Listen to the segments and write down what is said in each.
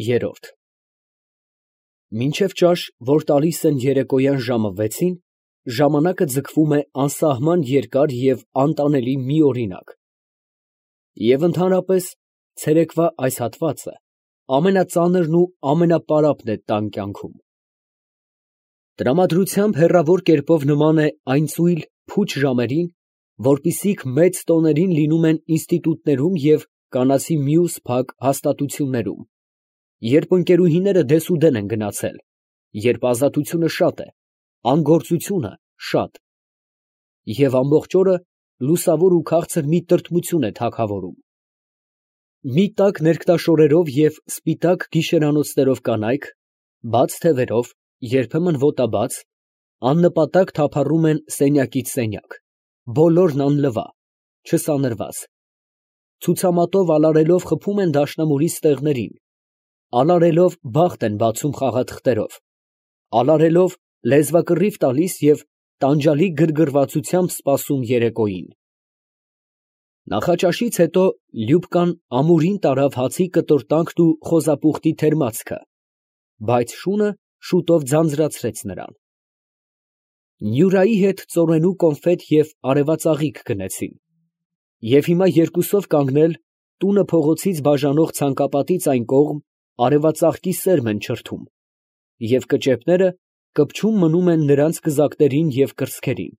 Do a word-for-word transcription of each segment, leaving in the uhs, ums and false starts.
Երրորդ Մինչև ճաշ, որ տալիս են երեկոյան ժամը վեցին, ժամանակը ձգվում է անսահման երկար և անտանելի մի օրինակ, և ընդհանրապես ցերեկվա այս հատվածը ամենածանրն ու ամենապարապն է տան կյանքում. տրամադրությամբ հեռավոր կերպով նման է այն ծույլ, փուչ ժամերին, որպիսիք մեծ տոներին լինում են ինստիտուտներում և կանացի մյուս փակ հաստատություններում, երբ ընկերուհիները դեսուդեն են գնացել, երբ ազատությունը շատ է, անգործությունը շատ, և ամբողջ օրը լուսավոր ու քաղցր մի տրտմություն է թագավորում. մի տաք ներկտաշորերով և սպիտակ գիշերանոցներով կանայք, բաց թևերով, երբեմն ոտաբաց, աննպատակ թափառում են սենյակից սենյակ, բոլորն անլվա, չսանրված, ցուցամատով ալարելով խփում են դաշնամուրի ստեղներին, ալարելով բախտ են բացում խաղաթղթերով, ալարելով լեզվակռիվ տալիս և տանջալի գրգռվածությամբ սպասում երեկոյին։ Նախաճաշից հետո Լյուբկան ամուրին տարավ հացի կտորտանքն ու խոզապուխտի թերմացքը, բայց շունը շուտով ձանձրացրեց նրան։ Նյուրայի հետ ծորենու կոնֆետ և արևածաղիկ գնեցին, և հիմա երկուսով կանգնել, տունը փողոցից բաժանող ցանկապատից այն կողմ, արևածաղկի սերմ են չրթում, և կճեպները կպչում մնում են նրանց կզակներին և կրծքերին։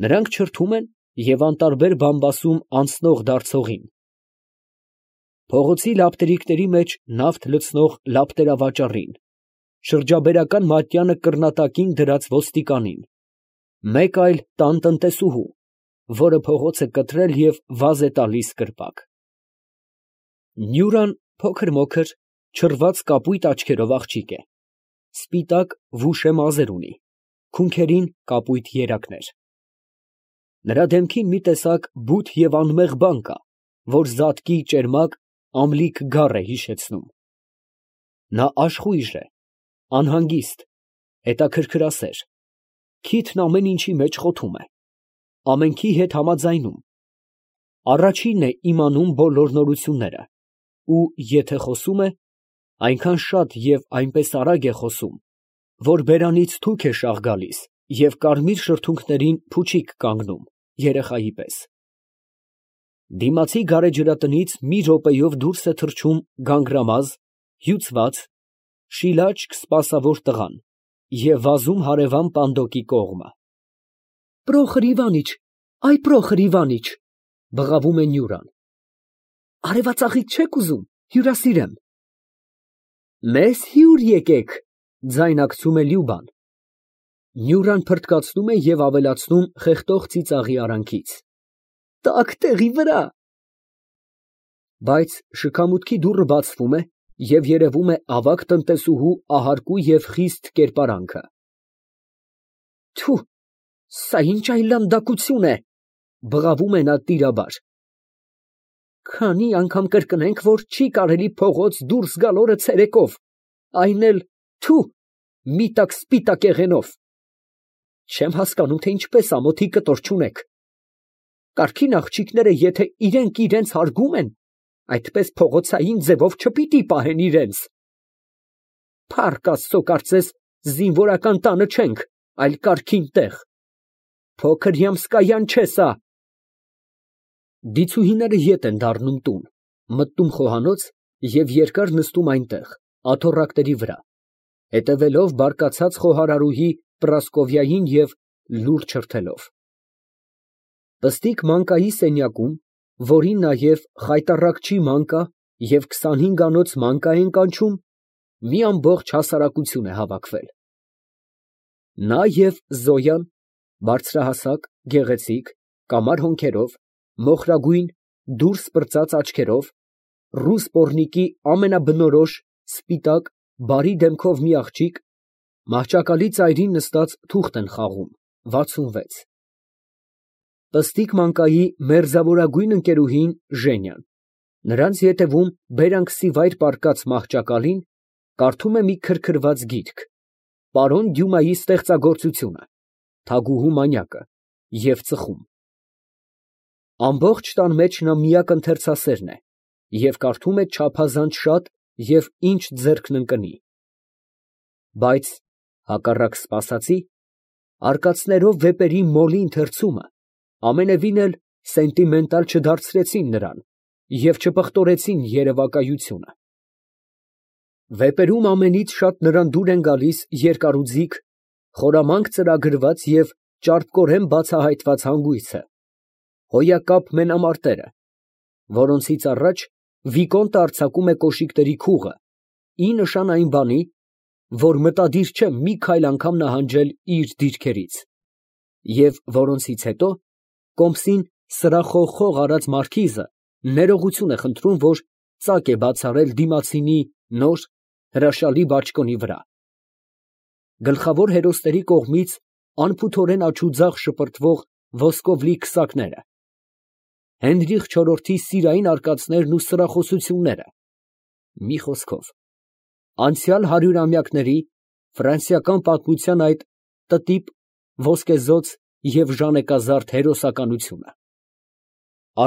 Նրանք չրթում են և անտարբեր բամբասում անցնող դարձողին։ Փողոցի լապտերիկների մեջ նավթ լցնող լապտերավաճառին, շրջաբերական մատյանը կռնատակին դրած ոստիկանին, մեկ այլ տան տնտեսուհու, որը փողոց է կտրել և վազ է տալիս կրպակ։ Նյուրան փոքր֊մոքր, չռված կապույտ աչքերով աղջիկ է, սպիտակ վուշե մազեր ունի, քունքերին կապույտ երակներ։ Նրա դեմքին մի տեսակ բութ և անմեղ բան կա, որ զատկի ճերմակ, ամլիկ գառ է հիշեցնում։ Նա աշխույժ է, անհանգիստ, հետաքրքրասեր, քիթն ամեն ինչի մեջ խոթում է, ամենքի հետ համաձայնում, առաջինն է իմանում բոլոր նորությունները, ու եթե խոսում է, այնքան շատ և այնպես արագ է խոսում, որ բերանից թուք է շաղ գալիս և կարմիր շրթունքներին փուչիկ կանգնում, երեխայի պես։ Դիմացի գարեջրատնից մի րոպեով դուրս է թռչում գանգրամազ, հյուծված, շիլաչք սպասավոր տղան և վազում հարևան պանդոկի կողմը։ ֊ Պրոխր Իվանիչ, այ Պրոխր Իվանիչ, ֊ բղավում է Նյուրան, ֊ արևածաղիկ չեք ուզում, հյուրասիրեմ։ ֊ Մեզ հյուր եկեք, ֊ ձայնարկում է Լյուբան։ Նյուրան փռթկացնում է և ավելացնում խեղդող ծիծաղի արանքից. Տաք տեղի վրա։ Բայց շքամուտքի դուռը բացվում է, և երևում է ավագ տնտեսուհու ահարկու և խիստ կերպարանքը։ Թո՛ւ, սա ի՞նչ այլանդակություն է, ֊ բղավում է նա տիրաբար։ Քանի՜ անգամ կրկնենք, որ չի կարելի փողոց դուրս գալ օրը ցերեկով, այն էլ, թո՛ւ, մի տաք սպիտակ եղենով։ Չեմ հասկանում, թե ինչպես ամոթի կտոր չունեք։ Կարգին աղջիկները եթե իրենք իրենց հարգում են, այդպես փողոցային ձևով չպիտի պահեն իրենց։ Փառք Աստծո, կարծես զինվորական տանը չենք, այլ կարգին տեղ։ Փոքր յամսկայան չէ սա։ Դիցուհիները ետ են դառնում տուն, մտնում խոհանոց և երկար նստում այնտեղ, աթոռակների վրա, հետևելով բարկացած խոհարարուհի Պրասկովյային և լուռ չրթելով։ Պստիկ մանկայի սենյակում, որին նաև խայտառակչի մանկա և քսանհինգանոց մանկա են կանչում, մի ամբողջ հասարակություն է հավաքվել։ Նա և Զոյան, բարձրահասակ, գեղեցիկ, կամար հոնքերով, մոխրագույն, դուրս պրծած աչքերով, ռուս պոռնիկի ամենաբնորոշ, սպիտակ, բարի դեմքով մի աղջիկ, մահճակալի ծայրին նստած թուղթ են խաղում, վաթսունվեց։ Պստիկ մանկայի մերձավորագույն ընկերուհին Ժենյան, նրանց ետևում բերանքսի վայր պառկած մահճակալին, կարդում է մի քրքրված գիրք, պարոն Դյումայի ստեղծագործությունը, Թագուհու մանյակը, և ծխում։ Ամբողջ տան մեջ նա միակ ընթերցասերն է և կարդում է չափազանց շատ և ինչ ձեռքն ընկնի, բայց, հակառակ սպասածի, արկածներով վեպերի մոլի ընթերցումը ամենևին էլ սենտիմենտալ չդարձրեցին նրան և չպղտորեցին երևակայությունը։ Վեպերում ամենից շատ նրան դուր են գալիս երկարուձիգ, խորամանկ ծրագրված և ճարպկորեն բացահայտված հանգույցը, հոյակապ մենամարտերը, որոնցից առաջ վիկոնտը արձակում է կոշիկների քուղը, ի նշան այն բանի, որ մտադիր չէ մի քայլ անգամ նահանջել իր դիրքերից, և որոնցից հետո կոմսին սրախողխող արած մարքիզը ներողություն է խնդրում, որ ծակ է բացառել դիմացինի նոր, հրաշալի բաճկոնի վրա։ Գլխավոր հերոսների կողմից անփութորեն աջուձախ շպրտվող ոսկով լի քսակները, Հենրիխ չորրորդի սիրային արկածներն ու սրախոսությունները, մի խոսքով, անցյալ հարյուրամյակների ֆրանսիական պատմության այդ տտիպ, ոսկեզօծ և ժանեկազարդ հերոսականությունը։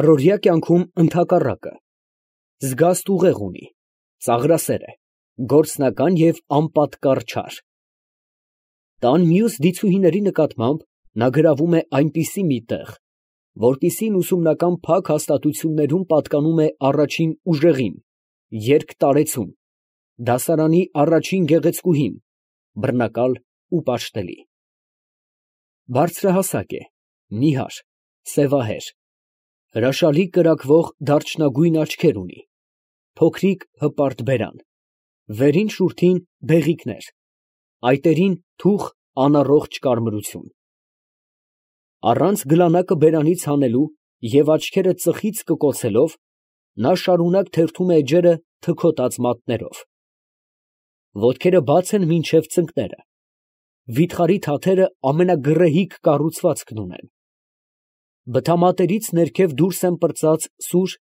Առօրյա կյանքում ընդհակառակը, զգաստ ուղեղ ունի, ծաղրասեր է, գործնական և անպատկառ չար։ Տան մյուս դիցուհիների նկատմամբ նա գրավում է այնպիսի մի տեղ, որպիսին ուսումնական փակ հաստատություններում պատկանում է առաջին ուժեղին, երկտարեցուն, դասարանի առաջին գեղեցկուհին, բռնակալ ու պաշտելի։ Բարձրահասակ է, նիհար, սևահեր, հրաշալի կրակվող դարչնագույն աչքեր ունի, փոքրիկ հպարտ բերան, վերին շուրթին բեղիկներ, այտերին թուխ անառողջ կարմրություն։ Առանց գլանակը բերանից հանելու և աչքերը ծխից կկոցելով, նա շարունակ թերթում է էջերը թքոտած մատներով։ Ոտքերը բաց են մինչև ծնկները, վիթխարի թաթերը ամենագռեհիկ կառուցվածքն ունեն, բթամատերից ներքև դուրս են պրծած սուր,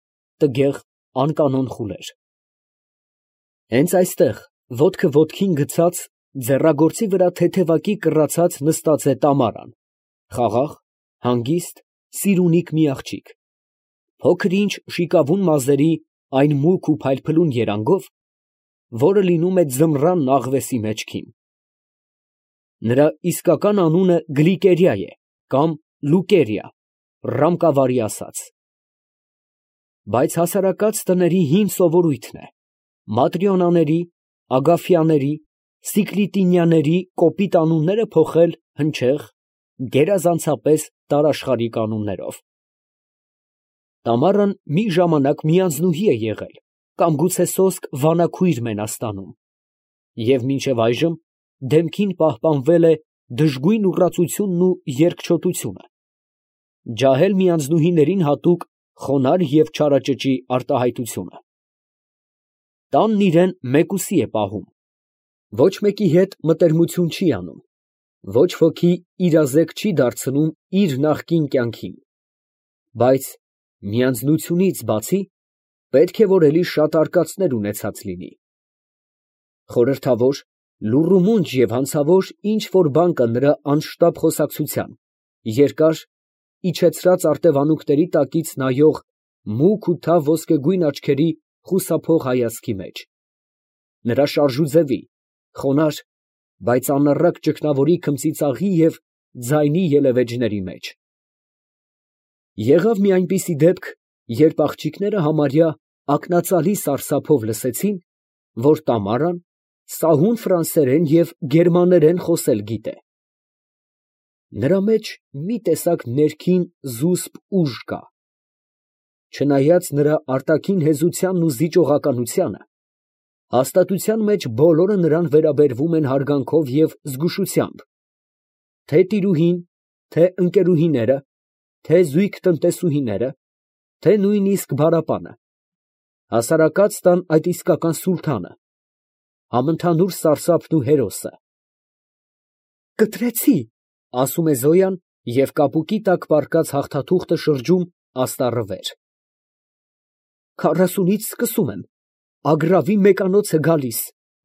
տգեղ, անկանոն խուլեր։ Հենց այստեղ, ոտքը ոտքին գցած, ձեռագործի վրա թեթևակի կռացած նստած է Տամարան, խաղաղ, հանգիստ, սիրունիկ մի աղջիկ, փոքր ինչ շիկավուն մազերի այն մուգ ու փայլփլուն երանգով, որը լինում է ձմռան աղվեսի մեջքին։ Նրա իսկական անունը Գլիկերիա է կամ Լուկերիա, ռամկավարի ասած։ Բայց հասարակած տների հին սովորույթն է Մատրիոնաների, Ագաֆյանների, Սիկլիտինյաների կոպիտ անունները փոխել հնչեղ, գերազանցապես տարաշխարհիկ անուններով։ Տամարան մի ժամանակ միանձնուհի է եղել կամ գուցե սոսկ վանաքույր Մենաստանում, և մինչև այժմ դեմքին պահպանվել է դժգույն ուռածությունն ու երկչոտությունը, ջահել միանձնուհիներին հատուկ խոնարհ և չարաճճի արտահայտությունը։ Տանն իրան մեկուսի է պահում, ոչ մեկի հետ մտերմություն չի անում, ոչ ոքի իրազեկ չի դարձնում իր նախկին կյանքին, բայց միանձնությունից բացի պետք է որ էլի շատ արկածներ ունեցած լինի։ Խորհրդավոր, լուռ ու մունջ և հանցավոր ինչ֊որ բան կա նրա անշտապ խոսակցության, երկար, իջեցրած արտևանունքների տակից նայող մուգ ու թավ ոսկեգույն աչքերի խուսափող հայացքի մեջ, նրա շարժուձևի, խոնարհ, բայց անառակ ճգնավորի քմծիծաղի և ձայնի ելևէջների մեջ։ Եղավ մի այնպիսի դեպք, երբ աղջիկները համարյա ակնածալի սարսափով լսեցին, որ Տամարան սահուն ֆրանսերեն և գերմաներեն խոսել գիտե։ Նրա մեջ մի տեսակ ներքին զուսպ ուժ կա։ Չնայած նրա արտաքին հեզությանն ու զիջողականությանը, հաստատության մեջ բոլորը նրան վերաբերվում են հարգանքով և զգուշությամբ, թե տիրուհին, թե ընկերուհիները, թե զույգ տնտեսուհիները, թե նույնիսկ բարապանը, հասարակած տան այդ իսկական սուլթանը, համընդհանուր սարսափն ու հերոսը։ «Կտրեցի», ֊ ասում է Զոյան և կապուկի տակ պառկած հաղթաթուղթը շրջում աստառը վեր։ «Քառասունից սկսում եմ, Ագրավի մեկանոց է գալիս,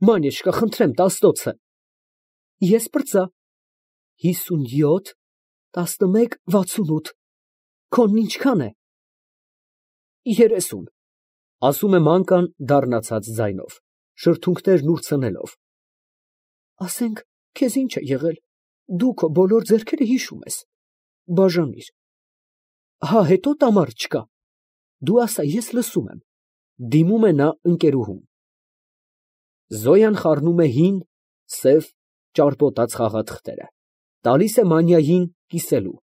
Մանյեչկա, խնդրեմ, տասնոցը»։ Ես պրծա. «Հիսունյոթ, տասնմեկ, վաթսունութ, քոնն ինչքան է»։ «Երեսուն», ֊ ասում է մանկան դառնացած ձայնով։ շրթունքներն ուրցնելով։ Ասենք, քեզ ինչ է եղել, դու քո բոլոր ձեռքերը հիշում ես, բաժանիր։ Հա, հետո տամար չկա, դու ասա, ես լսում եմ, դիմում է նա ընկերուհուն։ Զոյան խառնում է հին, սև, ճարպոտած խաղաթղթերը, տալիս է Մանյային կիսելու,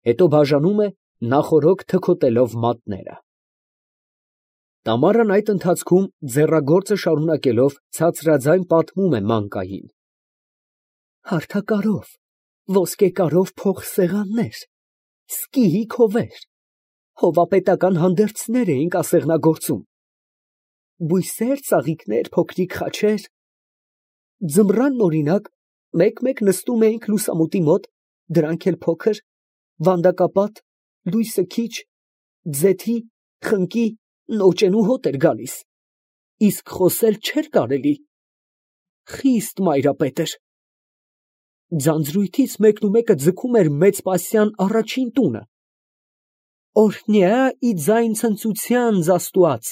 հետո բաժանում է, նախօրոք թքոտելով մատները։ Տամարան այդ ընթացքում ձեռագործը շարունակելով ցածրաձայն պատմում է Մանկային. Հարթակարով, ոսկեկարով փողսեղաններ, սկիհի քովեր, հովապետական հանդերձներ էինք ասեղնագործում, բույսեր, ծաղիկներ, փոքրիկ խաչեր, ձմռանն օրինակ, մեկ֊մեկ նստում էինք լուսամուտի մոտ, դրանք էլ փոքր, վանդակապատ, լույսը քիչ, ձեթի, խնկի, նոճենու հոտ էր գալիս, իսկ խոսել չէր կարելի, խիստ մայրապետ էր։ Ձանձրույթից մեկնումեկը ձգում էր Մեծպասյան առաջին տունը, օրհնյա ի ձայն ցնծության Աստուած,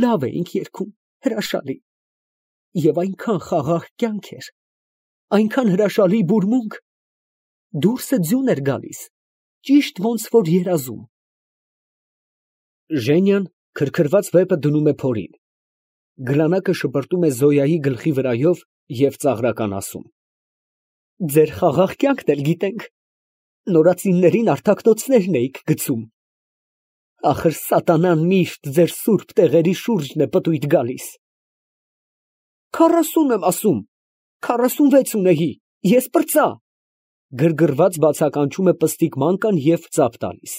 լավ էինք երգում, հրաշալի, և այնքան խաղաղ կյանք էր, այնքան հրաշալի բուրմունք, դուրսը ձյուն էր գալիս, ճիշտ ոնց որ երազում։ Ժենյան քրքրված վեպը դնում է փորին, գլանակը շպրտում է Զոյայի գլխի վրայով և ծաղրական ասում. Ձեր խաղաղ կյանքն էլ գիտենք, նորածիններին արտակնոցներն էիք գցում, ախր սատանան միշտ ձեր սուրբ տեղերի շուրջն է պտույտ գալիս։ Քառասուն եմ ասում, քառասունվեց ունեի, ես պրծա, գրգռված բացականչում է պստիկ Մանկան և ծափ տալիս։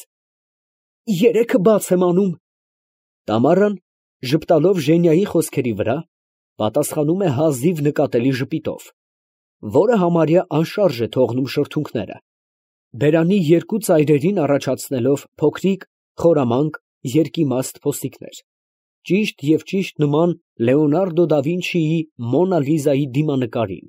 Երեքը բաց եմ անում։ Տամարան, ժպտալով Ժենյայի խոսքերի վրա, պատասխանում է հազիվ նկատելի ժպիտով, որը համարյա անշարժ է թողնում շրթունքները, բերանի երկու ծայրերին առաջացնելով փոքրիկ, խորամանկ, երկիմաստ փոստիկներ, ճիշտ և ճիշտ նման Լեոնարդո դա Վինչիի Մոնա Լիզայի դիմանկարին։